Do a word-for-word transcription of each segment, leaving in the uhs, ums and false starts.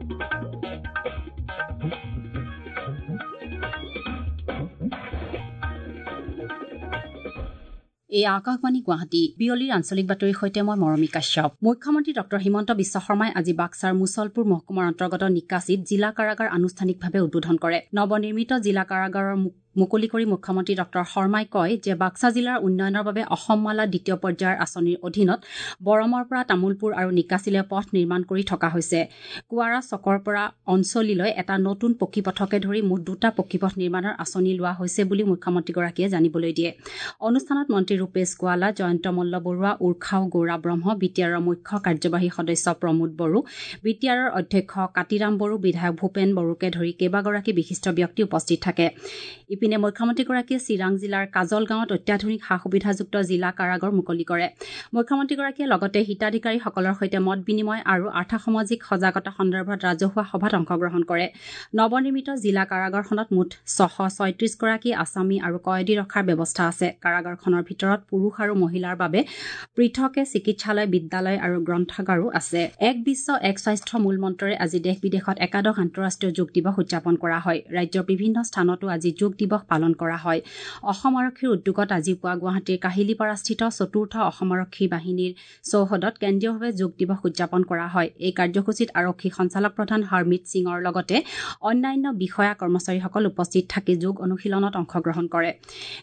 এই আকাশবাণী গুৱাহাটী বিয়লিৰ আঞ্চলিক বাতৰিৰ সৈতে মই মৰমী কাশ্যপ। মুখ্যমন্ত্ৰী ডক্টৰ হিমন্ত বিশ্ব শৰ্মাই আজি বাক্সাৰ মুছলপুৰ মহকুমাৰ অন্তৰ্গত নিকাছিত জিলা কাৰাগাৰ আনুষ্ঠানিকভাৱে উদ্বোধন কৰে। নৱনিৰ্মিত জিলা কাৰাগাৰৰ মুকলি কৰি মুখ্যমন্ত্ৰী ডক্টৰ শৰ্মাই কয় যে বাক্সা জিলাৰ উন্নয়নৰ বাবে অসমমালা দ্বিতীয় পৰ্যায়ৰ আঁচনিৰ অধীনত বৰমৰ পৰা তামোলপুৰ আৰু নিকাছিলৈ পথ নিৰ্মাণ কৰি থকা হৈছে। কুৱাৰা চকৰ পৰা অঞ্চলিলৈ এটা নতুন পকী পথকে ধৰি মুঠ দুটা পকী পথ নিৰ্মাণৰ আঁচনি লোৱা হৈছে বুলি মুখ্যমন্ত্ৰীগৰাকীয়ে জানিবলৈ দিয়ে। অনুষ্ঠানত মন্ত্ৰী ৰূপেশ গোৱালা, জয়ন্ত মল্ল বৰুৱা, উৰ্খাও গৌৰা ব্ৰহ্ম, বি টি আৰৰ মুখ্য কাৰ্যবাহী সদস্য প্ৰমোদ বড়ো, বি টি আৰৰ অধ্যক্ষ কাতিৰাম বড়ো, বিধায়ক ভূপেন বড়োকে ধৰি কেইবাগৰাকী বিশিষ্ট ব্যক্তি উপস্থিত থাকে। ইপিনে মুখ্যমন্ত্ৰীগৰাকীয়ে চিৰাং জিলাৰ কাজলগাঁৱত অত্যাধুনিক সা সুবিধাযুক্ত জিলা কাৰাগাৰ মুকলি কৰে। মুখ্যমন্ত্ৰীগৰাকীয়ে লগতে হিতাধিকাৰীসকলৰ সৈতে মত বিনিময় আৰু আৰ্থসামাজিক সজাগতা সন্দৰ্ভত ৰাজহুৱা সভাত অংশগ্ৰহণ কৰে। নৱনিৰ্মিত জিলা কাৰাগাৰখনত মুঠ ছশ ছয়ত্ৰিশগৰাকী আছামী আৰু কয়েদী ৰখাৰ ব্যৱস্থা আছে। কাৰাগাৰখনৰ ভিতৰত পুৰুষ আৰু মহিলাৰ বাবে পৃথকে চিকিৎসালয়, বিদ্যালয় আৰু গ্ৰন্থাগাৰো আছে। এক বিশ্ব এক স্বাস্থ্য মূলমন্ত্ৰৰে আজি দেশ বিদেশত একাদশ আন্তঃৰাষ্ট্ৰীয় যোগ দিৱস উদযাপন কৰা হয়। ৰাজ্যৰ বিভিন্ন স্থানতো আজি যোগ দিৱস পালন কৰা হয়। অসম আৰক্ষীৰ উদ্যোগত আজি পুৱা গুৱাহাটীৰ কাহিলীপাৰাস্থিত চতুৰ্থ অসম আৰক্ষী বাহিনীৰ চৌহদত কেন্দ্ৰীয়ভাৱে যোগ দিৱস উদযাপন কৰা হয়। এই কাৰ্যসূচীত আৰক্ষী সঞ্চালক প্ৰধান হৰমিত সিঙৰ লগতে অন্যান্য বিষয়া কৰ্মচাৰীসকল উপস্থিত থাকি যোগ অনুশীলনত অংশগ্ৰহণ কৰে।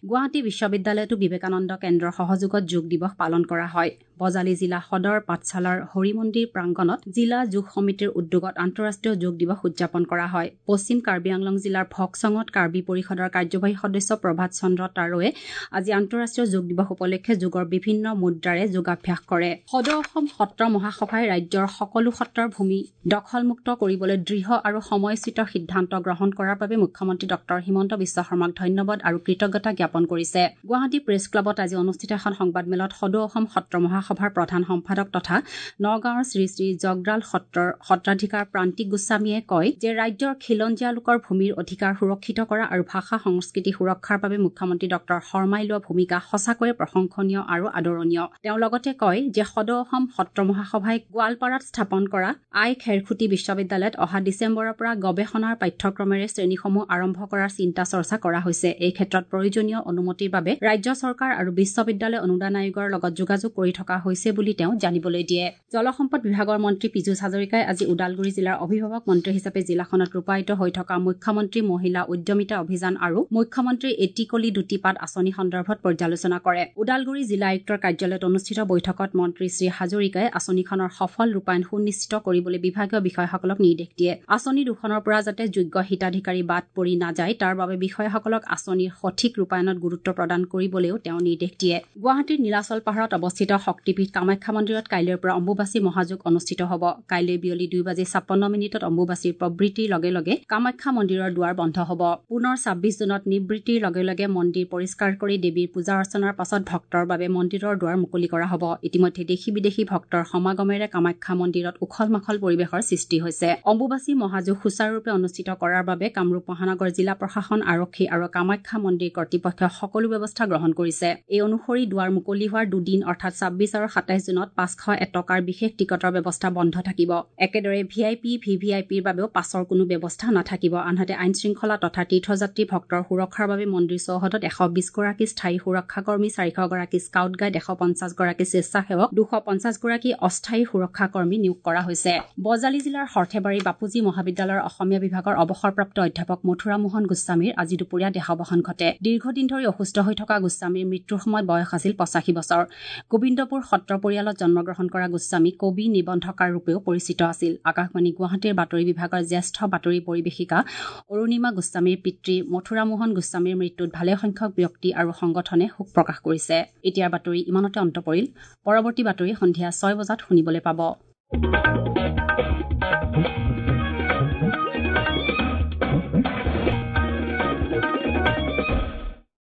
গুৱাহাটী বিশ্ববিদ্যালয়তো বিবেকানন্দ কেন্দ্ৰৰ সহযোগত যোগ দিৱস পালন কৰা হয়। বজালী জিলা সদৰ পাঠশালাৰ হৰিমন্দিৰ প্ৰাংগণত জিলা যোগ সমিতিৰ উদ্যোগত আন্তঃৰাষ্ট্ৰীয় যোগ দিৱস উদযাপন কৰা হয়। পশ্চিম কাৰ্বি আংলং জিলাৰ ভকচঙত কাৰ্বি পৰিষদৰ কাৰ্যবাহী সদস্য প্ৰভাত চন্দ্ৰ তাৰোৱে আজি আন্তঃৰাষ্ট্ৰীয় যোগ দিৱস উপলক্ষে যোগৰ বিভিন্ন মুদ্ৰাৰে যোগাভ্যাস কৰে। সদৌ অসম সত্ৰ মহাসভাই ৰাজ্যৰ সকলো সত্ৰৰ ভূমি দখলমুক্ত কৰিবলৈ দৃঢ় আৰু সময়োচিত সিদ্ধান্ত গ্ৰহণ কৰাৰ বাবে মুখ্যমন্ত্ৰী ডক্টৰ হিমন্ত বিশ্ব শৰ্মাক ধন্যবাদ আৰু কৃতজ্ঞতা জ্ঞাপন কৰিছে। গুৱাহাটী প্ৰেছ ক্লাবত আজি অনুষ্ঠিত এখন সংবাদমেলত সদৌ অসম সত্ৰ মহাসভাৰ প্ৰধান সম্পাদক তথা নগাঁৱৰ শ্ৰী শ্ৰী জগৰাল সত্ৰৰ সত্ৰাধিকাৰ প্ৰান্তিক গোস্বামীয়ে কয় যে ৰাজ্যৰ খিলঞ্জীয়া লোকৰ ভূমিৰ অধিকাৰ সুৰক্ষিত কৰা আৰু ভাষা সংস্কৃতি সুৰক্ষাৰ বাবে মুখ্যমন্ত্ৰী ডক্টৰ শৰ্মাই লোৱা ভূমিকা সঁচাকৈয়ে প্ৰশংসনীয় আৰু আদৰণীয়। তেওঁ লগতে কয় যে সদৌ অসম সত্ৰ মহাসভাই গোৱালপাৰাত স্থাপন কৰা আই খেৰখুটি বিশ্ববিদ্যালয়ত অহা ডিচেম্বৰৰ পৰা গৱেষণাৰ পাঠ্যক্ৰমেৰে শ্ৰেণীসমূহ আৰম্ভ কৰাৰ চিন্তা চৰ্চা কৰা হৈছে। এই ক্ষেত্ৰত প্ৰয়োজনীয় অনুমতিৰ বাবে ৰাজ্য চৰকাৰ আৰু বিশ্ববিদ্যালয় অনুদান আয়োগৰ লগত যোগাযোগ কৰি থকা হৈছে বুলি তেওঁ জানিবলৈ দিয়ে। জলসম্পদ বিভাগৰ মন্ত্ৰী পীযুষ হাজৰিকাই আজি ওদালগুৰি জিলাৰ অভিভাৱক মন্ত্ৰী হিচাপে জিলাখনত ৰূপায়িত হৈ থকা মুখ্যমন্ত্ৰী মহিলা উদ্যমিতা অভিযান আৰু মুখ্যমন্ত্ৰী এটি কলি দুটি পাত আঁচনি সন্দৰ্ভত পৰ্যালোচনা কৰে। ওদালগুৰি জিলা আয়ুক্তৰ কাৰ্যালয়ত অনুষ্ঠিত বৈঠকত মন্ত্ৰী শ্ৰী হাজৰিকাই আঁচনিখনৰ সফল ৰূপায়ণ সুনিশ্চিত কৰিবলৈ বিভাগীয় বিষয়াসকলক নিৰ্দেশ দিয়ে। আঁচনি দুখনৰ পৰা যাতে যোগ্য হিতাধিকাৰী বাদ পৰি নাযায় তাৰ বাবে বিষয়াসকলক আঁচনিৰ সঠিক ৰূপায়ণত গুৰুত্ব প্ৰদান কৰিবলৈও তেওঁ নিৰ্দেশ দিয়ে। গুৱাহাটীৰ নীলাচল পাহাৰত অৱস্থিত শক্তিপীঠ কামাখ্যা মন্দিৰত কাইলৈৰ পৰা অম্বুবাচী মহাযোগ অনুষ্ঠিত হ'ব। কাইলৈ বিয়লি দুই বাজি ছাপন্ন মিনিটত অম্বুবাচীৰ প্ৰবৃত্তিৰ লগে লগে কামাখ্যা মন্দিৰৰ দুৱাৰ বন্ধ হ'ব। পুনৰ ছাব্বিছ জুনত নিবৃত্তিৰ লগে লগে মন্দিৰ পৰিষ্কাৰ কৰি দেৱীৰ পূজা অৰ্চনাৰ পাছত ভক্তৰ বাবে মন্দিৰৰ দুৱাৰ মুকলি কৰা হ'ব। ইতিমধ্যে দেশী বিদেশী ভক্তৰ সমাগমেৰে কামাখ্যা মন্দিৰত উখল মাখল পৰিৱেশৰ সৃষ্টি হৈছে। অম্বুবাচী মহাযোগ সুচাৰুৰূপে অনুষ্ঠিত কৰাৰ বাবে কামৰূপ মহানগৰ জিলা প্ৰশাসন, আৰক্ষী আৰু কামাখ্যা মন্দিৰ কৰ্তৃপক্ষই সকলো ব্যৱস্থা গ্ৰহণ কৰিছে। এই অনুসৰি দুৱাৰ মুকলি হোৱাৰ দুদিন অৰ্থাৎ ছাব্বিছ আৰু সাতাইছ জুনত পাঁচশ এটকাৰ বিশেষ টিকটৰ ব্যৱস্থা বন্ধ থাকিব। একেদৰে V I P, V V I পিৰ বাবেও পাছৰ কোনো ব্যৱস্থা নাথাকিব। আনহাতে আইন শৃংখলা তথা তীৰ্থযাত্ৰী ভক্তৰ সুৰক্ষাৰ বাবে মন্দিৰ চৌহদত এশ বিশগৰাকী স্থায়ী সুৰক্ষাকৰ্মী, চাৰিশগৰাকী স্কাউট গাইড, এশ পঞ্চাছগৰাকী স্বেচ্ছাসেৱক, দুশ পঞ্চাছগৰাকী অস্থায়ী সুৰক্ষাকৰ্মী নিয়োগ কৰা হৈছে। বজালী জিলাৰ সৰ্থেবাৰী বাপুজী মহাবিদ্যালয়ৰ অসমীয়া বিভাগৰ অৱসৰপ্ৰাপ্ত অধ্যাপক মথুৰা মোহন গোস্বামীৰ আজি দুপৰীয়া দেহাৱসান ঘটে। দীৰ্ঘদিন ধৰি অসুস্থ হৈ থকা গোস্বামীৰ মৃত্যুৰ সময়ত বয়স আছিল পঁচাশী বছৰ। গোবিন্দপুৰ সত্ৰ পৰিয়ালত জন্মগ্ৰহণ কৰা গোস্বামী কবি, নিবন্ধকাৰ ৰূপেও পৰিচিত আছিল। আকাশবাণী গুৱাহাটীৰ বাতৰি বিভাগৰ জ্যেষ্ঠ বাতৰি পৰিৱেশিকা অৰুণিমা গোস্বামীৰ পিতৃ মথুৰা মোহন গোস্বামীৰ মৃত্যুত ভালেসংখ্যক ব্যক্তি আৰু সংগঠনে শোক প্ৰকাশ কৰিছে। এতিয়াৰ বাতৰি ইমানতে অন্ত পৰিল। পৰৱৰ্তী বাতৰি সন্ধিয়া ছয় বজাত শুনিবলৈ পাব।